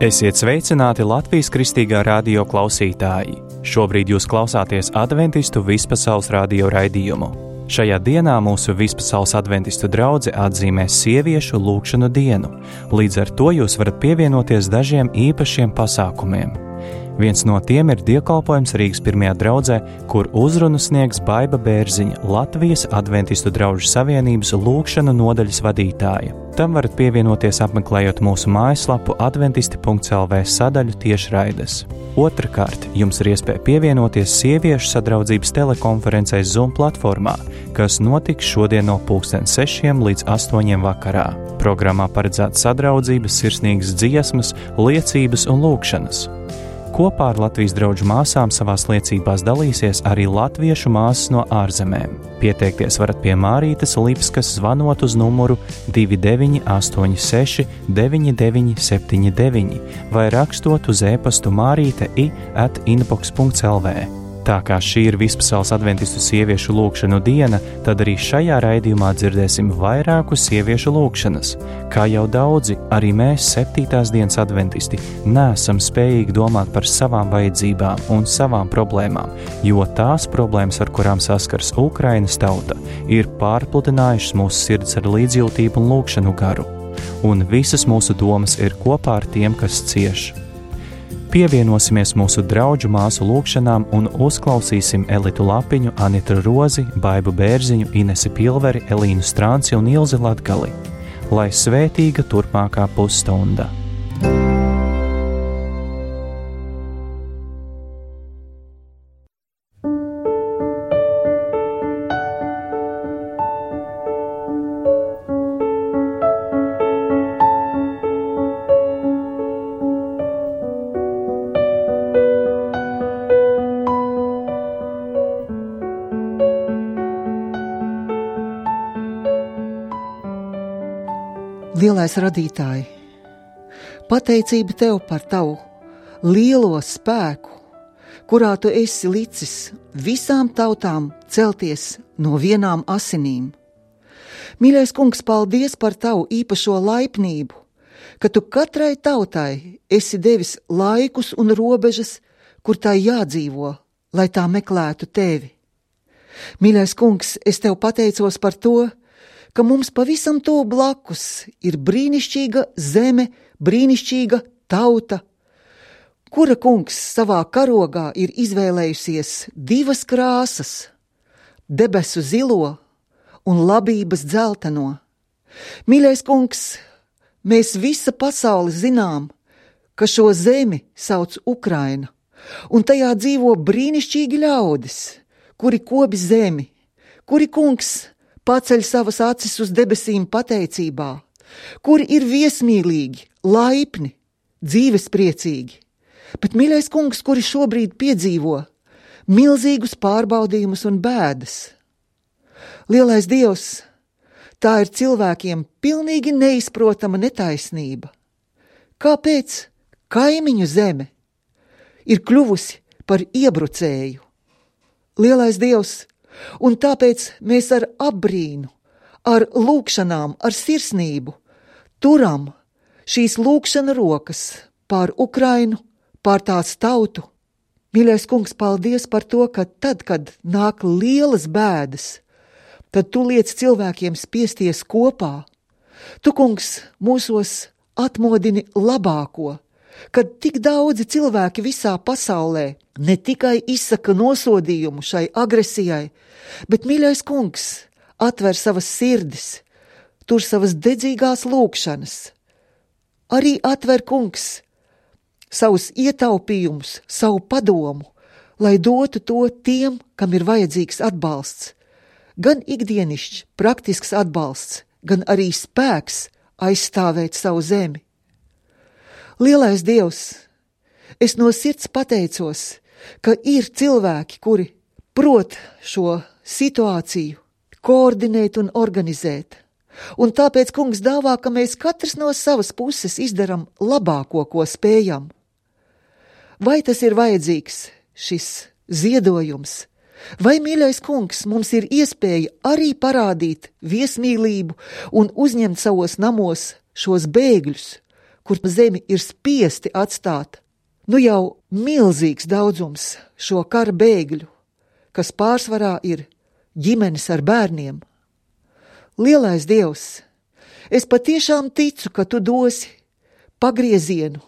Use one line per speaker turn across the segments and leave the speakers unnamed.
Esiet sveicināti Latvijas Kristīgā radio klausītāji. Šobrīd jūs klausāties Adventistu vispasaules radio raidījumu. Šajā dienā mūsu vispasaules adventistu draudze atzīmēs sieviešu lūgšanu dienu. Līdz ar to jūs varat pievienoties dažiem īpašiem pasākumiem. Viens no tiem ir dievkalpojums Rīgas pirmajā draudzē, kur uzrunu sniegs Baiba Bērziņa, Latvijas Adventistu draužu savienības lūgšanu nodaļas vadītāja. Tam varat pievienoties apmeklējot mūsu mājaslapu adventisti.lv sadaļu tiešraides. Otrakārt, jums ir iespēja pievienoties sieviešu sadraudzības telekonferencei Zoom platformā, kas notiks šodien no 6:00 līdz 8:00 vakarā. Programmā paredzēta sadraudzības, sirsnīgas dziesmas, liecības un lūgšanas. Kopā ar Latvijas draugu māsām savās liecībās dalīsies arī latviešu māsas no ārzemēm. Pieteikties varat pie Mārītes Lipskas zvanot uz numuru 2986 9979 vai rakstot uz e-pastu marite@inbox.lv. Tā kā šī ir vispasaules adventistu sieviešu lūgšanu diena, tad arī šajā raidījumā dzirdēsim vairāku sieviešu lūgšanas. Kā jau daudzi, arī mēs 7. dienas adventisti neesam spējīgi domāt par savām vajadzībām un savām problēmām, jo tās problēmas, ar kurām saskars Ukrainas tauta, ir pārpludinājušas mūsu sirds ar līdzjūtību un lūgšanu garu. Un visas mūsu domas ir kopā ar tiem, kas cieš. Pievienosimies mūsu draugu māsu lūgšanām un uzklausīsim Elitu Lapiņu, Anitu Rozi, Baibu Bērziņu, Inesi Pilveri, Elīnu Strānci un Ilzi Latgali. Lai svētīga turpmākā pusstunda!
Lielais radītāji, pateicība Tev par Tavu lielo spēku, kurā Tu esi licis visām tautām celties no vienām asinīm. Mīļais Kungs, paldies par Tavu īpašo laipnību, ka Tu katrai tautai esi devis laikus un robežas, kur tai jādzīvo, lai tā meklētu Tevi. Mīļais Kungs, es Tev pateicos par to, ka mums pavisam tuvu blakus ir brīnišķīga zeme, brīnišķīga tauta, kura, Kungs, savā karogā ir izvēlējusies divas krāsas – debesu zilo un labības dzelteno. Mīļais Kungs, mēs visa pasauli zinām, ka šo zemi sauc Ukraina, un tajā dzīvo brīnišķīgi ļaudis, kuri kopi zemi, kuri, Kungs, paceļ savas acis uz debesīm pateicībā, kuri ir viesmīlīgi, laipni, dzīvespriecīgi, bet, mīļais Kungs, kuri šobrīd piedzīvo milzīgus pārbaudījumus un bēdas. Lielais Dievs, tā ir cilvēkiem pilnīgi neizprotama netaisnība. Kāpēc kaimiņu zeme ir kļuvusi par iebrucēju? Lielais Dievs, un tāpēc mēs ar apbrīnu, ar lūgšanām, ar sirsnību turam šīs lūgšana rokas pār Ukrainu, pār tās tautu. Mīļais Kungs, paldies par to, ka tad, kad nāk lielas bēdas, tad Tu liec cilvēkiem spiesties kopā. Tu, Kungs, mūsos atmodini labāko, kad tik daudzi cilvēki visā pasaulē ne tikai izsaka nosodījumu šai agresijai, bet, mīļais Kungs, atver savas sirdis, tur savas dedzīgās lūgšanas. Arī atver, Kungs, savus ietaupījumus, savu padomu, lai dotu to tiem, kam ir vajadzīgs atbalsts. Gan ikdienišķs, praktisks atbalsts, gan arī spēks aizstāvēt savu zemi. Lielais Dievs, es no sirds pateicos, ka ir cilvēki, kuri prot šo situāciju koordinēt un organizēt. Un tāpēc, Kungs, dāvā, ka mēs katrs no savas puses izdaram labāko, ko spējam. Vai tas ir vajadzīgs, šis ziedojums? Vai, mīļais Kungs, mums ir iespēja arī parādīt viesmīlību un uzņemt savos namos šos bēgļus, kur zemi ir spiesti atstāt, nu jau milzīgs daudzums šo kara bēgļu, kas pārsvarā ir ģimenes ar bērniem. Lielais Dievs, es patiešām ticu, ka tu dosi pagriezienu,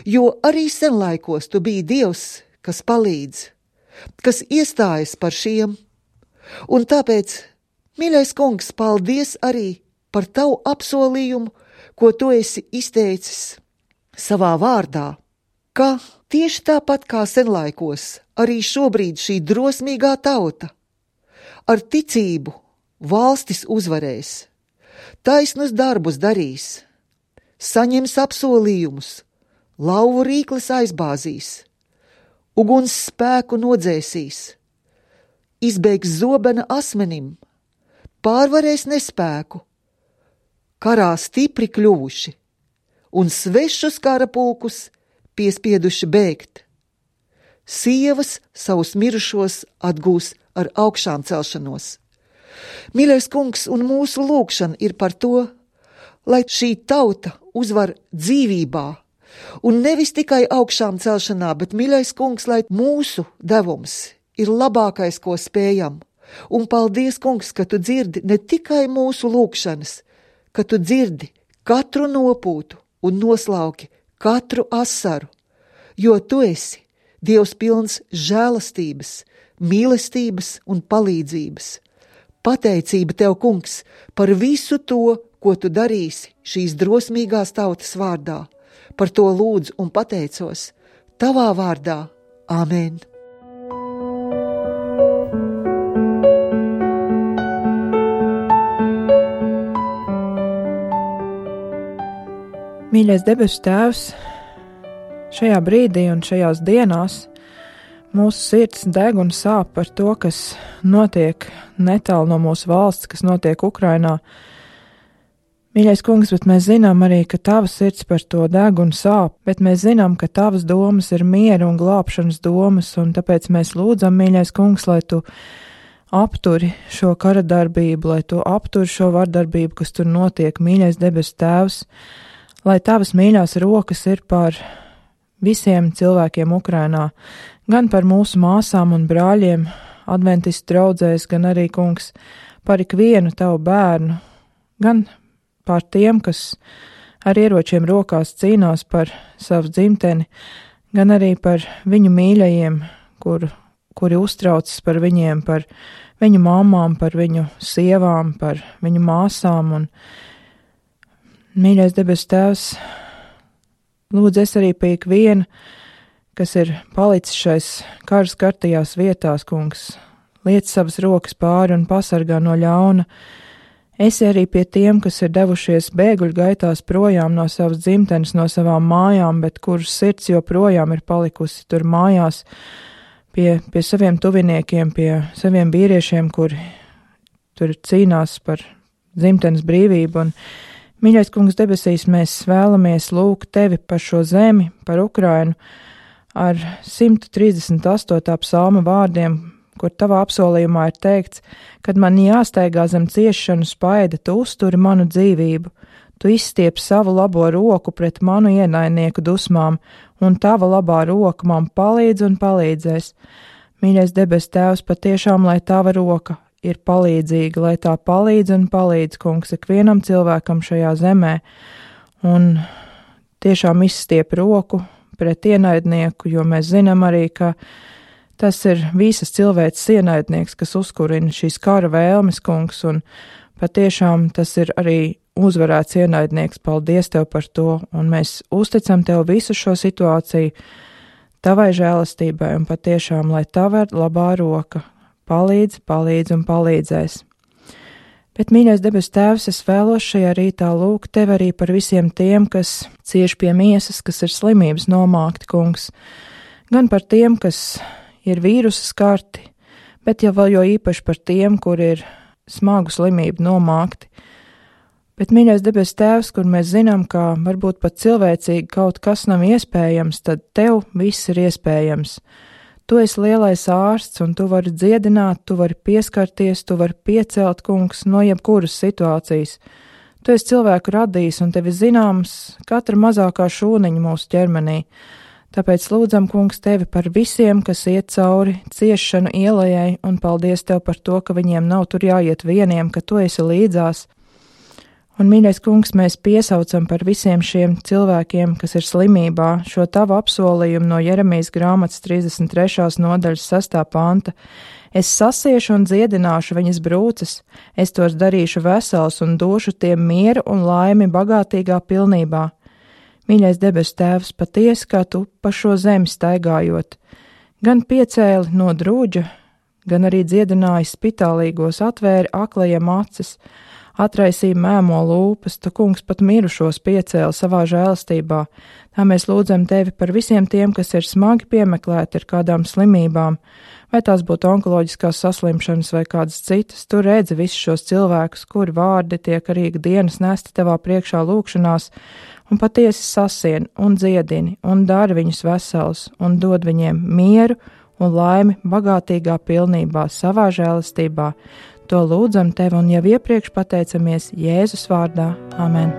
jo arī senlaikos tu biji Dievs, kas palīdz, kas iestājas par šiem. Un tāpēc, mīļais kungs, paldies arī par tavu apsolījumu, ko tu esi izteicis savā vārdā, ka tieši tāpat kā senlaikos, arī šobrīd šī drosmīgā tauta ar ticību valstis uzvarēs, taisnus darbus darīs, saņems apsolījumus, lauvu rīklis aizbāzīs, uguns spēku nodzēsīs, izbēgs zobena asmenim, pārvarēs nespēku, karā stipri kļuvuši un svešus kara pulkus piespieduši bēgt. Sievas savus mirušos atgūs ar augšām celšanos. Mīļais kungs, un mūsu lūgšana ir par to, lai šī tauta uzvar dzīvībā, un nevis tikai augšām celšanā, bet, mīļais kungs, lai mūsu devums ir labākais, ko spējam. Un paldies, kungs, ka tu dzirdi ne tikai mūsu lūgšanas, ka tu dzirdi katru nopūtu un noslauki katru asaru, jo tu esi Dievs pilns žēlastības, mīlestības un palīdzības. Pateicība tev, kungs, par visu to, ko tu darīsi šīs drosmīgās tautas vārdā. Par to lūdzu un pateicos tavā vārdā. Āmen!
Mīļais debesu Tēvs, šajā brīdī un šajās dienās mūsu sirds deg un sāp par to, kas notiek netālu no mūsu valsts, kas notiek Ukrainā. Mīļais kungs, bet mēs zinām arī, ka tava sirds par to deg un sāp, bet mēs zinām, ka tavas domas ir miera un glābšanas domas, un tāpēc mēs lūdzam, mīļais kungs, lai tu apturi šo kara darbību, lai tu apturi šo vardarbību, kas tur notiek, mīļais debesu Tēvs, lai tavas mīļās rokas ir par visiem cilvēkiem Ukrainā, gan par mūsu māsām un brāļiem, adventistu draudzēs, gan arī, kungs, par ikvienu tavu bērnu, gan par tiem, kas ar ieročiem rokās cīnās par savu dzimteni, gan arī par viņu mīļajiem, kuri uztraucas par viņiem, par viņu māmām, par viņu sievām, par viņu māsām. Un, mīļais debesu Tēvs, lūdzu es arī pie ikviena, kas ir palicis šais kara skartajās vietās, kungs, liec savas rokas pāri un pasargā no ļauna. Esi arī pie tiem, kas ir devušies bēgļu gaitās projām no savas dzimtenes, no savām mājām, bet kuras sirds joprojām ir palikusi tur mājās pie saviem tuviniekiem, pie saviem vīriešiem, kuri tur cīnās par dzimtenes brīvību. Un, mīļais kungs debesīs, mēs vēlamies lūgt tevi par šo zemi, par Ukrainu, ar 138. psalma vārdiem, kur tavā apsolījumā ir teikts, kad man jāsteigā zem ciešanu spaida, tu uzturi manu dzīvību, tu izstiep savu labo roku pret manu ienaidnieku dusmām, un tava labā roka man palīdz un palīdzēs. Mīļais debes Tēvs, patiešām, lai tava roka ir palīdzīga, lai tā palīdz un palīdz, kungs, ikvienam cilvēkam šajā zemē, un tiešām izstiep roku pret ienaidnieku, jo mēs zinām arī, ka tas ir visas cilvēces ienaidnieks, kas uzkurina šīs kara vēlmes, kungs, un patiešām tas ir arī uzvarēts ienaidnieks. Paldies tev par to, un mēs uzticam tev visu šo situāciju tavai žēlastībai, un patiešām, lai tava labā roka palīdz un palīdzēs. Bet, mīļais debes Tēvs, es vēlos šajā rītā lūgt tevi arī par visiem tiem, kas cieš pie miesas, kas ir slimības nomākti, kungs, gan par tiem, kas ir vīrusa skarti, bet jau vēl jo īpaši par tiem, kur ir smagu slimību nomākti. Bet, mīļais debes Tēvs, kur mēs zinām, ka varbūt pat cilvēcīgi kaut kas nav iespējams, tad tev viss ir iespējams. Tu esi lielais ārsts, un tu vari dziedināt, tu vari pieskarties, tu vari piecelt, kungs, no jebkuras situācijas. Tu esi cilvēku radījis un tevi zināms katra mazākā šūniņa mūsu ķermenī. Tāpēc lūdzam, kungs, tevi par visiem, kas iet cauri ciešanu ielai, un paldies tev par to, ka viņiem nav tur jāiet vieniem, ka tu esi līdzās. Un, mīļais kungs, mēs piesaucam par visiem šiem cilvēkiem, kas ir slimībā, šo tavu apsolījumu no Jeremijas grāmatas 33. nodaļas 6. panta. Es sasiešu un dziedināšu viņas brūces, es tos darīšu vesels un došu tiem mieru un laimi bagātīgā pilnībā. Mīļais debesu Tēvs, patiesi, kā tu pa šo zemi staigājot, gan piecēli no drūģa, gan arī dziedināji spitālīgos, atvēri aklajiem acis, atraisīja mēmo lūpas, tu, kungs, pat mirušos piecēli savā žēlastībā. Tā mēs lūdzam tevi par visiem tiem, kas ir smagi piemeklēti ar kādām slimībām, vai tās būtu onkoloģiskās saslimšanas vai kādas citas. Tu redzi visus šos cilvēkus, kuri vārdi tiek arī ikdienas nesti tavā priekšā lūkšanās, un patiesi sasien un dziedini un dari viņus vesels un dod viņiem mieru un laimi bagātīgā pilnībā savā žēlastībā. To lūdzam tevi un jau iepriekš pateicamies Jēzus vārdā. Amen.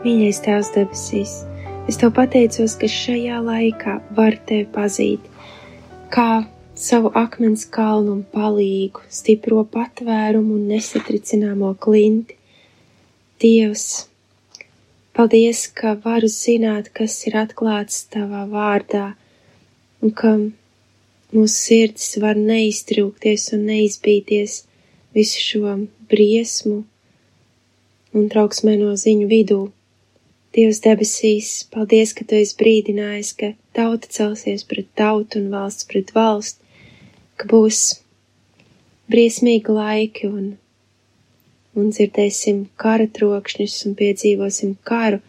Mīļais Tēvs debesīs, es tev pateicos, ka šajā laikā var tevi pazīt, kā savu akmens kalnu un palīgu, stipro patvērumu un nesatricināmo klinti. Dievs, paldies, ka varu zināt, kas ir atklāts tavā vārdā, un ka mūsu sirdis var neiztrūkties un neizbīties visu šo briesmu un trauksmēno ziņu vidū. Dievs debesīs, paldies, ka tu esi brīdinājis, ka tauta celsies pret tautu un valsts pret valsti, ka būs briesmīgi laiki un dzirdēsim kara trokšņus un piedzīvosim karu,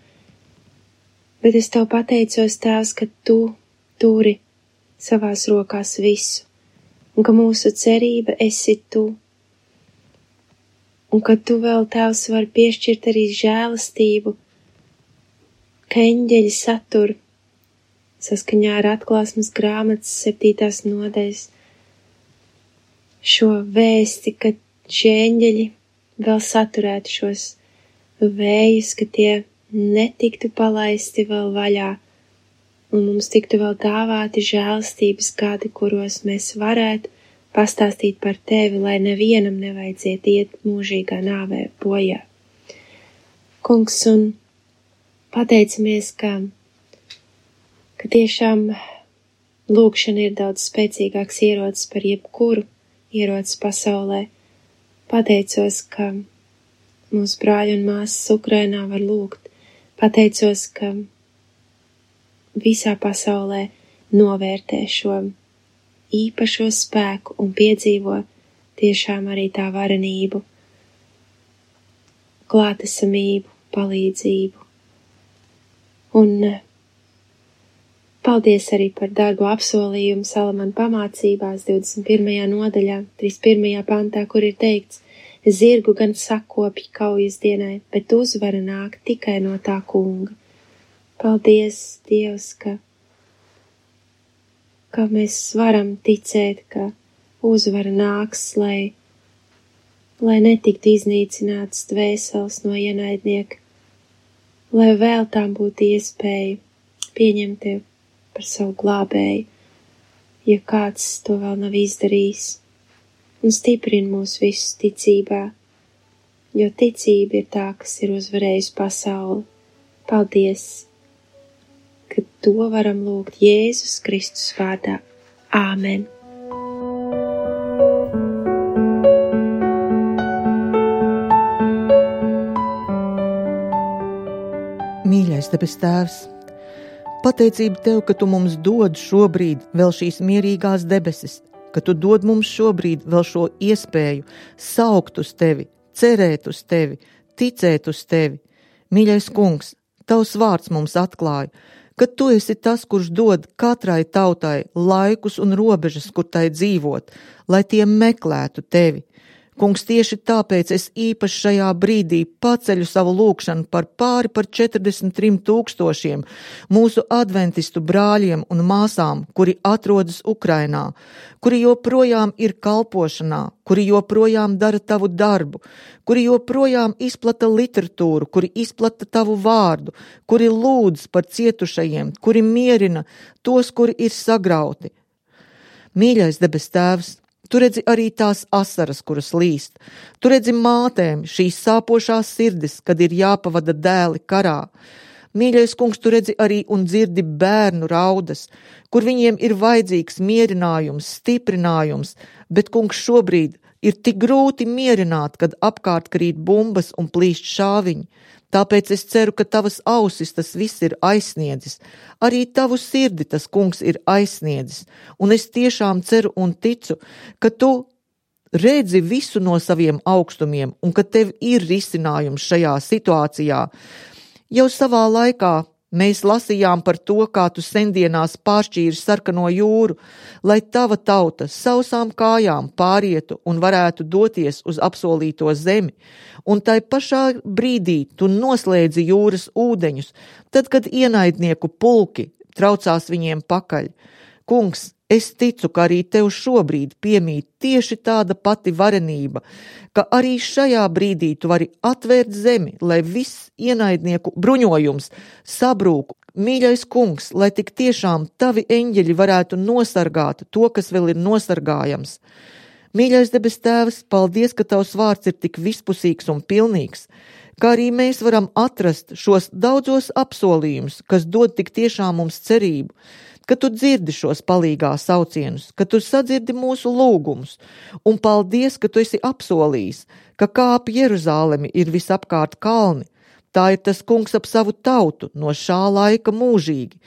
bet es tev pateicos, Tēvs, ka tu turi savās rokās visu, un ka mūsu cerība esi tu, un ka tu vēl, Tēvs, var piešķirt arī žēlastību, ka eņģeļi satur saskaņā ar Atklāsmes grāmatas 7. nodaļas šo vēsti, ka šie eņģeļi vēl saturētu šos vējus, ka tie netiktu palaisti vēl vaļā, un mums tiktu vēl dāvāti žēlastības gadi, kuros mēs varētu pastāstīt par tevi, lai nevienam nevajadzētu iet mūžīgā nāvē bojā. Kungs, un pateicamies, ka tiešām lūkšana ir daudz spēcīgāks ierocis par jebkuru ieroci pasaulē. Pateicos, ka mūsu brāļi un māsas Ukrainā var lūgt. Pateicos, ka visā pasaulē novērtē šo īpašo spēku un piedzīvo tiešām arī tā varenību, klātesamību, palīdzību. Un paldies arī par dārgo apsolījumu Salamana pamācībās 21. nodaļā, 31. pantā, kur ir teikts: zirgu gan sakopji kaujas dienai, bet uzvara nāk tikai no tā kunga. Paldies, Dievs, ka mēs varam ticēt, ka uzvara nāks, lai netiktu iznīcināts dvēseles no ienaidnieka, lai vēl tām būtu iespēja pieņemt tevi par savu glābēju, ja kāds to vēl nav izdarījis, un stiprina mūs visus ticībā, jo ticība ir tā, kas ir uzvarējusi pasauli. Paldies, ka to varam lūgt Jēzus Kristus vārdā. Āmen!
Mīļais debes Tēvs, pateicība Tev, ka Tu mums dod šobrīd vēl šīs mierīgās debesis, ka Tu dod mums šobrīd vēl šo iespēju saukt uz Tevi, cerēt uz Tevi, ticēt uz Tevi. Mīļais Kungs, Tavs vārds mums atklāja, ka Tu esi tas, kurš dod katrai tautai laikus un robežas, kur tai dzīvot, lai tie meklētu Tevi. Kungs, tieši tāpēc es īpaši šajā brīdī paceļu savu lūgšanu par pāri par 43 000 mūsu adventistu brāļiem un māsām, kuri atrodas Ukrainā, kuri joprojām ir kalpošanā, kuri joprojām dara tavu darbu, kuri joprojām izplata literatūru, kuri izplata tavu vārdu, kuri lūdz par cietušajiem, kuri mierina tos, kuri ir sagrauti. Mīļais debes Tēvs, Tu redzi arī tās asaras, kuras līst. Tu redzi mātēm šīs sāpošās sirdis, kad ir jāpavada dēli karā. Mīļais Kungs, Tu redzi arī un dzirdi bērnu raudas, kur viņiem ir vajadzīgs mierinājums, stiprinājums, bet, Kungs, šobrīd ir tik grūti mierināt, kad apkārt krīt bumbas un plīst šāviņi. Tāpēc es ceru, ka Tavas ausis tas viss ir aizsniedzis. Arī Tavu sirdi tas, Kungs, ir aizsniedzis. Un es tiešām ceru un ticu, ka Tu redzi visu no saviem augstumiem un ka Tev ir risinājums šajā situācijā. Jau savā laikā mēs lasījām par to, kā Tu sendienās pāršķīri sarkano jūru, lai Tava tauta sausām kājām pārietu un varētu doties uz apsolīto zemi. Un tai pašā brīdī Tu noslēdzi jūras ūdeņus, tad, kad ienaidnieku pulki traucās viņiem pakaļ. Kungs, es ticu, ka arī Tev šobrīd piemīt tieši tāda pati varenība, ka arī šajā brīdī Tu vari atvērt zemi, lai viss ienaidnieku bruņojums sabrūk. Mīļais Kungs, lai tik tiešām Tavi eņģeļi varētu nosargāt to, kas vēl ir nosargājams. Mīļais debes Tēvs, paldies, ka Tavs vārds ir tik vispusīgs un pilnīgs, kā arī mēs varam atrast šos daudzos apsolījumus, kas dod tik tiešām mums cerību, ka Tu dzirdi šos palīgā saucienus, ka Tu sadzirdi mūsu lūgumus, un paldies, ka Tu esi apsolījis, ka kā ap Jeruzālemi ir visapkārt kalni, tā ir tas Kungs ap savu tautu no šā laika mūžīgi.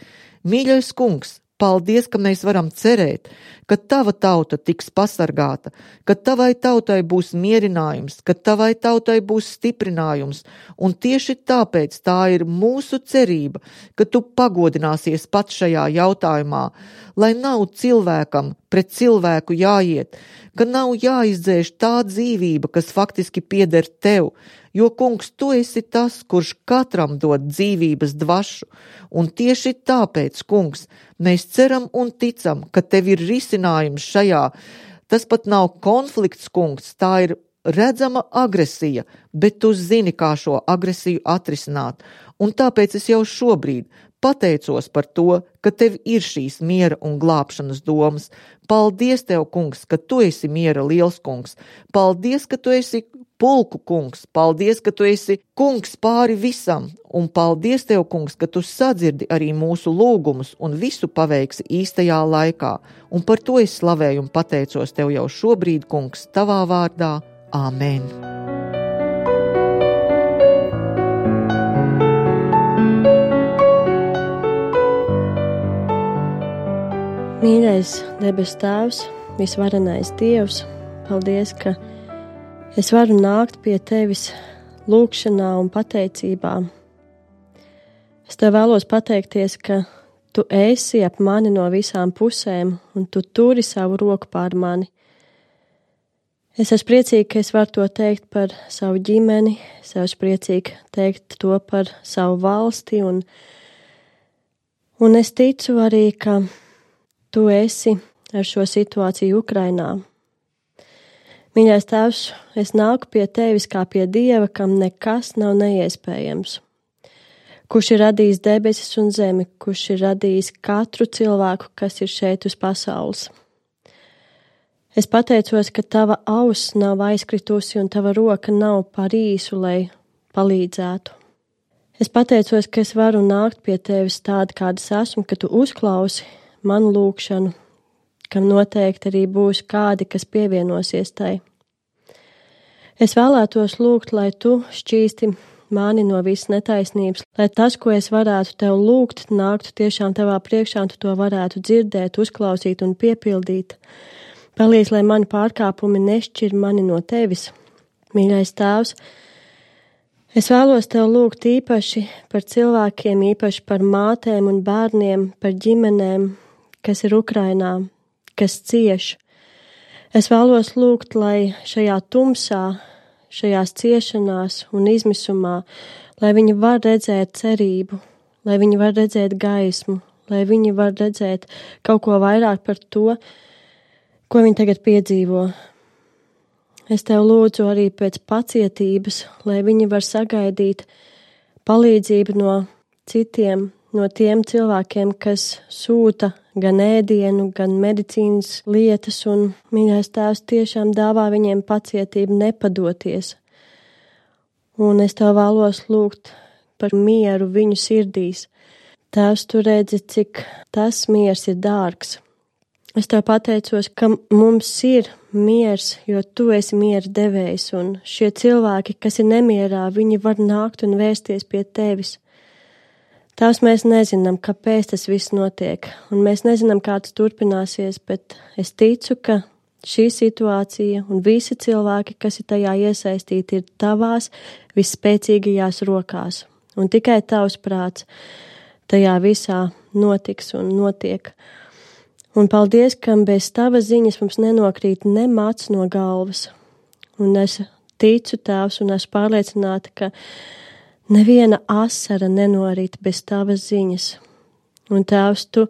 Mīļais Kungs, paldies, ka mēs varam cerēt, ka Tava tauta tiks pasargāta, ka Tavai tautai būs mierinājums, ka Tavai tautai būs stiprinājums, un tieši tāpēc tā ir mūsu cerība, ka Tu pagodināsies pats šajā jautājumā, lai nav cilvēkam pret cilvēku jāiet, ka nav jāizdzēš tā dzīvība, kas faktiski pieder Tev, jo, Kungs, Tu esi tas, kurš katram dod dzīvības dvašu, un tieši tāpēc, Kungs, mēs ceram un ticam, ka Tev ir risinājums šajā. Tas pat nav konflikts, Kungs, tā ir redzama agresija, bet Tu zini, kā šo agresiju atrisināt, un tāpēc es jau šobrīd pateicos par to, ka Tev ir šīs miera un glābšanas domas. Paldies Tev, Kungs, ka Tu esi miera liels Kungs. Paldies, ka Tu esi pulku Kungs. Paldies, ka Tu esi Kungs pāri visam. Un paldies Tev, Kungs, ka Tu sadzirdi arī mūsu lūgumus un visu paveiksi īstajā laikā. Un par to es slavēju un pateicos Tev jau šobrīd, Kungs, Tavā vārdā. Āmen.
Mīļais debes Tēvs, visvarenais Dievs, paldies, ka es varu nākt pie Tevis lūgšanā un pateicībā. Es Tev vēlos pateikties, ka Tu esi ap mani no visām pusēm un Tu turi savu roku pār mani. Es esmu priecīga, ka es varu to teikt par savu ģimeni, es esmu priecīga teikt to par savu valsti un es ticu arī, ka Tu esi ar šo situāciju Ukrainā. Mīļais Tēvs, es nāku pie Tevis kā pie Dieva, kam nekas nav neiespējams. Kurš ir radījis debesis un zemi, kurš ir radījis katru cilvēku, kas ir šeit uz pasaules. Es pateicos, ka Tava auss nav aizkritusi un Tava roka nav par īsu, lai palīdzētu. Es pateicos, ka es varu nākt pie Tevis tāda, kādas esmu, ka Tu uzklausi manu lūgšanu, kam noteikti arī būs kādi, kas pievienosies tai. Es vēlētos lūgt, lai Tu šķīsti mani no visas netaisnības, lai tas, ko es varētu Tev lūgt, nāktu tiešām Tavā priekšā, un Tu to varētu dzirdēt, uzklausīt un piepildīt. Palīdz, lai mani pārkāpumi nešķir mani no Tevis. Mīļais Tēvs, es vēlos Tev lūgt īpaši par cilvēkiem, īpaši par mātēm un bērniem, par ģimenēm, kas ir Ukrainā, kas cieš. Es vēlos lūgt, lai šajā tumsā, šajās ciešanās un izmisumā, lai viņi var redzēt cerību, lai viņi var redzēt gaismu, lai viņi var redzēt kaut ko vairāk par to, ko viņi tagad piedzīvo. Es tev lūdzu arī pēc pacietības, lai viņi var sagaidīt palīdzību no citiem, no tiem cilvēkiem, kas sūta gan ēdienu, gan medicīnas lietas, un mīļais Tēvs tiešām dāvā viņiem pacietību nepadoties. Un es tev vēlos lūgt par mieru viņu sirdīs. Tēvs, tu redzi, cik tas miers ir dārgs. Es tev pateicos, ka mums ir miers, jo tu esi miera devējs, un šie cilvēki, kas ir nemierā, viņi var nākt un vērsties pie tevis. Tās mēs nezinām, kāpēc tas viss notiek, un mēs nezinām, kā tas turpināsies, bet es ticu, ka šī situācija un visi cilvēki, kas ir tajā iesaistīti, ir tavās visspēcīgajās rokās, un tikai tavs prāts tajā visā notiks un notiek. Un paldies, ka bez tavas ziņas mums nenokrīt ne mats no galvas. Un es ticu, Tēvs, un esmu pārliecināta, ka neviena asara nenorit bez tavas ziņas. Un Tēvs, tu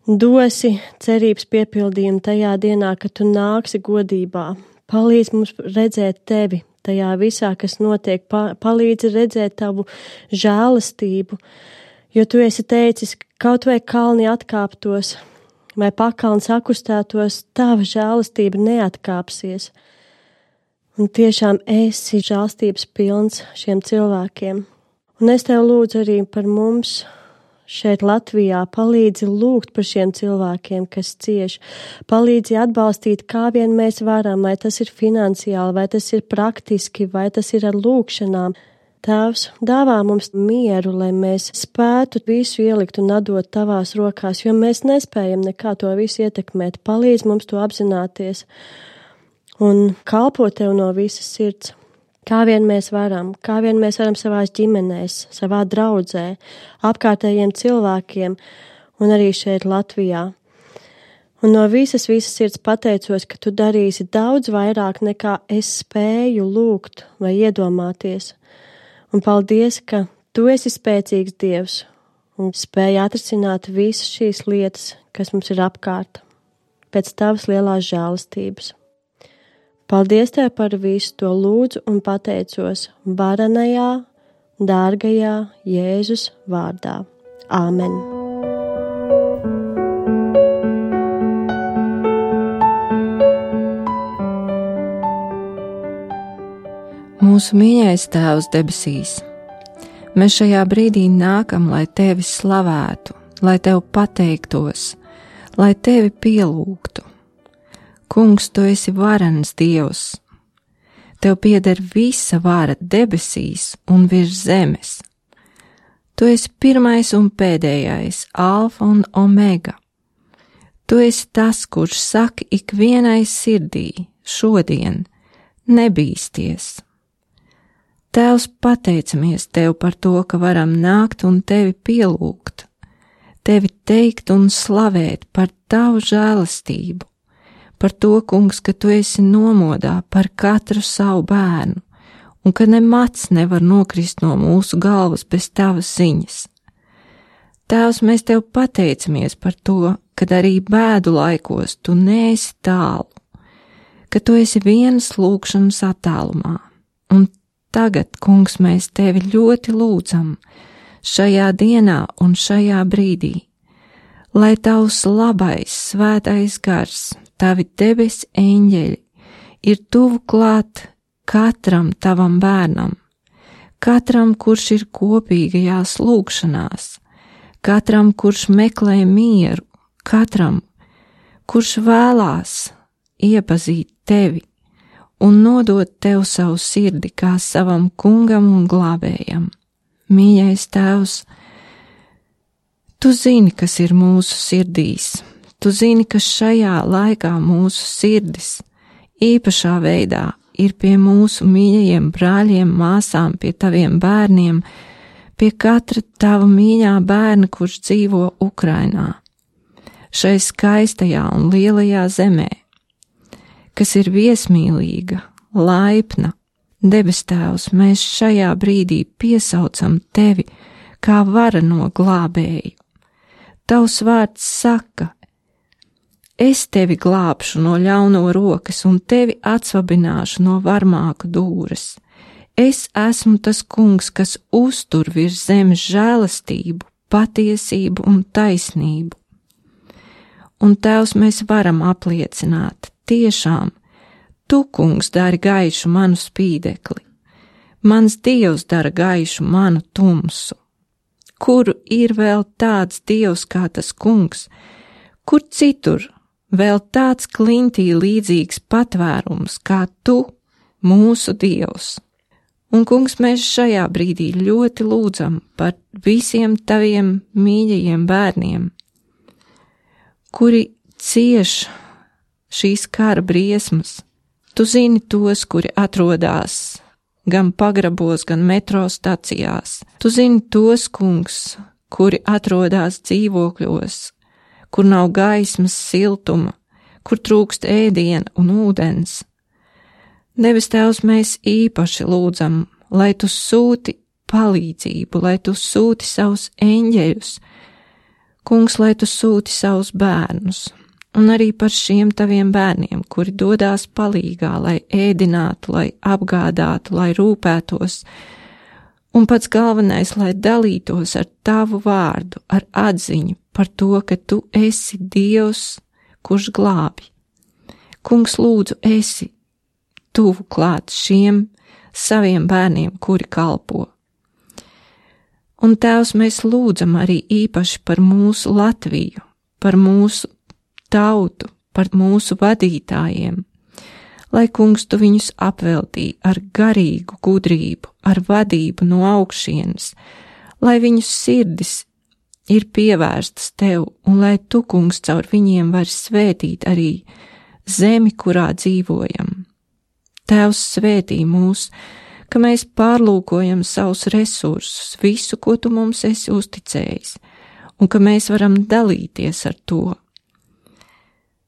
dosi cerības piepildījumu tajā dienā, kad tu nāksi godībā. Palīdz mums redzēt tevi tajā visā, kas notiek. Palīdz redzēt tavu žēlastību, jo tu esi teicis, kaut vai kalni atkāptos, vai pakalns akustētos, tava žēlastība neatkāpsies. Un tiešām esi žēlstības pilns šiem cilvēkiem. Un es tev lūdzu arī par mums šeit Latvijā, palīdzi lūgt par šiem cilvēkiem, kas cieš. Palīdzi atbalstīt, kā vien mēs varam, vai tas ir finansiāli, vai tas ir praktiski, vai tas ir ar lūgšanām. Tēvs, dāvā mums mieru, lai mēs spētu visu ielikt un atdot tavās rokās, jo mēs nespējam nekā to visu ietekmēt. Palīdz mums to apzināties un kalpot tev no visas sirds. Kā vien mēs varam savās ģimenēs, savā draudzē, apkārtējiem cilvēkiem un arī šeit Latvijā. Un no visas sirds pateicos, ka tu darīsi daudz vairāk nekā es spēju lūgt vai iedomāties. Un paldies, ka tu esi spēcīgs Dievs un spēj atrisināt visas šīs lietas, kas mums ir apkārt, pēc tavas lielās žēlastības. Paldies tev par visu to lūdzu un pateicos varenajā, dārgajā Jēzus vārdā. Āmen!
Mūsu mīļais Tēvs debesīs, mēs šajā brīdī nākam, lai tevi slavētu, lai tev pateiktos, lai tevi pielūgtu. Kungs, tu esi varens Dievs. Tev pieder visa vara debesīs un virs zemes. Tu esi pirmais un pēdējais, alfa un omega. Tu esi tas, kurš saka ikvienai sirdī šodien nebīsties. Tēvs, pateicamies tev par to, ka varam nākt un tevi pielūgt, tevi teikt un slavēt par tavu žēlastību, par to, kungs, ka tu esi nomodā par katru savu bērnu un ka ne mats nevar nokrist no mūsu galvas bez tavas ziņas. Tēvs, mēs tev pateicamies par to, kad arī bēdu laikos tu neesi tālu, ka tu esi vienas lūgšanas attālumā. Un tagad, kungs, mēs tevi ļoti lūdzam šajā dienā un šajā brīdī, lai tavs labais, svētais gars, tavi debes eņģeļi ir tuvu klāt katram tavam bērnam, katram, kurš ir kopīgajās lūgšanās, katram, kurš meklē mieru, katram, kurš vēlās iepazīt tevi un nodot tev savu sirdi kā savam kungam un glābējam. Mīļais Tēvs, tu zini, kas ir mūsu sirdīs, tu zini, ka šajā laikā mūsu sirdis īpašā veidā ir pie mūsu mīļajiem brāļiem, māsām, pie taviem bērniem, pie katra tava mīļā bērna, kurš dzīvo Ukrainā, šai skaistajā un lielajā zemē. kas ir viesmīlīga, laipna. Debes Tēvs, mēs šajā brīdī piesaucam Tevi kā vareno glābēju. Tavs vārds saka, es Tevi glābšu no ļauno rokas un Tevi atsvabināšu no varmāku dūres. Es esmu tas kungs, kas uztur virs zemes žēlastību, patiesību un taisnību. Un Tēvs, mēs varam apliecināt, tiešām, Tu, kungs, dari gaišu manu spīdekli, mans Dievs dara gaišu manu tumsu. Kuru ir vēl tāds Dievs kā tas kungs, kur citur vēl tāds klintī līdzīgs patvērums kā Tu, mūsu Dievs? Un, kungs, mēs šajā brīdī ļoti lūdzam par visiem Taviem mīļajiem bērniem, kuri cieš šīs kara briesmas. Tu zini tos, kuri atrodas gan pagrabos, gan metro stacijās. Tu zini tos, kungs, kuri atrodas dzīvokļos, kur nav gaismas, siltuma, kur trūkst ēdiena un ūdens. Debes Tēvs, mēs īpaši lūdzam, lai Tu sūti palīdzību, lai Tu sūti savus eņģeļus, kungs, lai Tu sūti savus bērnus. Un arī par šiem Taviem bērniem, kuri dodās palīgā, lai ēdinātu, lai apgādātu, lai rūpētos, un pats galvenais, lai dalītos ar Tavu vārdu, ar atziņu par to, ka Tu esi Dievs, kurš glābj. Kungs, lūdzu, esi tuvu klāt šiem saviem bērniem, kuri kalpo. Un Tēvs, mēs lūdzam arī īpaši par mūsu Latviju, par mūsu tautu, par mūsu vadītājiem, lai, kungs, Tu viņus apveltī ar garīgu gudrību, ar vadību no augšienes, lai viņu sirdis ir pievērstas Tev, un lai Tu, kungs, caur viņiem vari svētīt arī zemi, kurā dzīvojam. Tēvs, svētī mūs, ka mēs pārlūkojam savus resursus, visu, ko Tu mums esi uzticējis, un ka mēs varam dalīties ar to.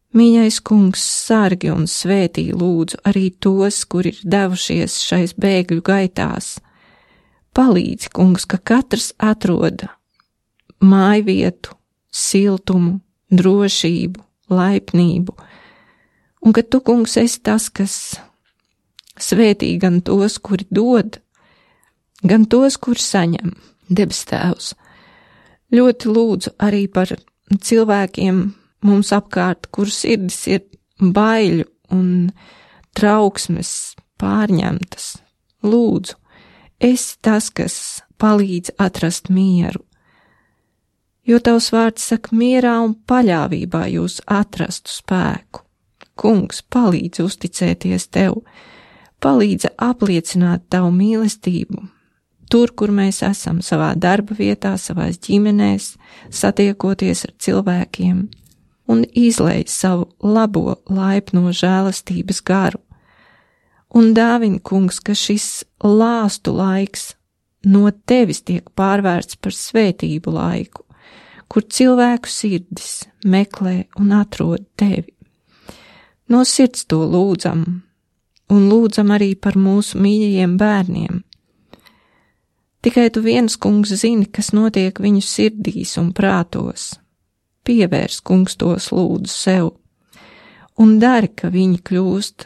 Mīļais kungs, sargi un svētī lūdzu arī tos, kuri ir devušies šais bēgļu gaitās. Palīdzi, kungs, ka katrs atrod mājvietu, siltumu, drošību, laipnību, un ka Tu, kungs, esi tas, kas svētī gan tos, kuri dod, gan tos, kuri saņem. Debes Tēvs, ļoti lūdzu arī par cilvēkiem mums apkārt, kur sirdis ir baiļu un trauksmes pārņemtas. Lūdzu, esi tas, kas palīdz atrast mieru, jo Tavs vārds saka, mierā un paļāvībā jūs atrastu spēku. Kungs, palīdz uzticēties Tev, palīdz apliecināt Tavu mīlestību, tur, kur mēs esam, savā darba vietā, savās ģimenēs, satiekoties ar cilvēkiem, un izlej savu labo, laipno žēlastības garu. Un dāvini, kungs, ka šis lāstu laiks no Tevis tiek pārvērsts par svētību laiku, kur cilvēku sirdis meklē un atrod Tevi. No sirds to lūdzam, un lūdzam arī par mūsu mīļajiem bērniem. Tikai Tu viens, kungs, zini, kas notiek viņu sirdīs un prātos. Pievērs, kungs, tos lūdzu sev, un dari, ka viņi kļūst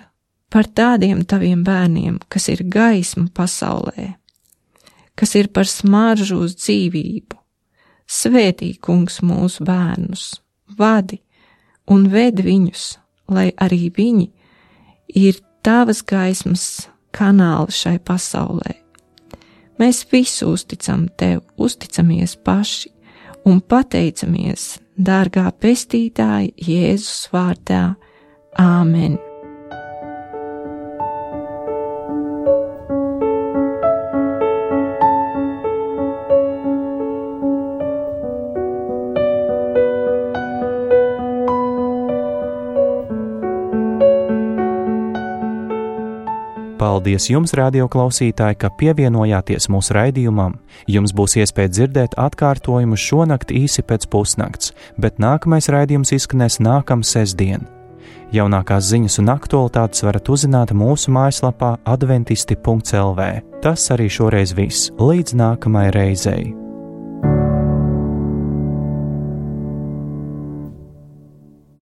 par tādiem Taviem bērniem, kas ir gaisma pasaulē, kas ir par smaržu uz dzīvību. Svētī, kungs, mūsu bērnus, vadi un ved viņus, lai arī viņi ir Tavas gaismas kanāli šai pasaulē. Mēs visu uzticam Tev, uzticamies paši un pateicamies, dārgā pestītāja, Jēzus vārdā. Āmen!
Paldies jums, radio klausītāji, ka pievienojāties mūsu raidījumam. Jums būs iespēja dzirdēt atkārtojumu šonakt īsi pēc pusnakts, bet nākamais raidījums izskanēs nākamā sestdien. Jaunākās ziņas un aktualitātes varat uzzināt mūsu mājaslapā adventisti.lv. Tas arī šoreiz viss. Līdz nākamajai reizei!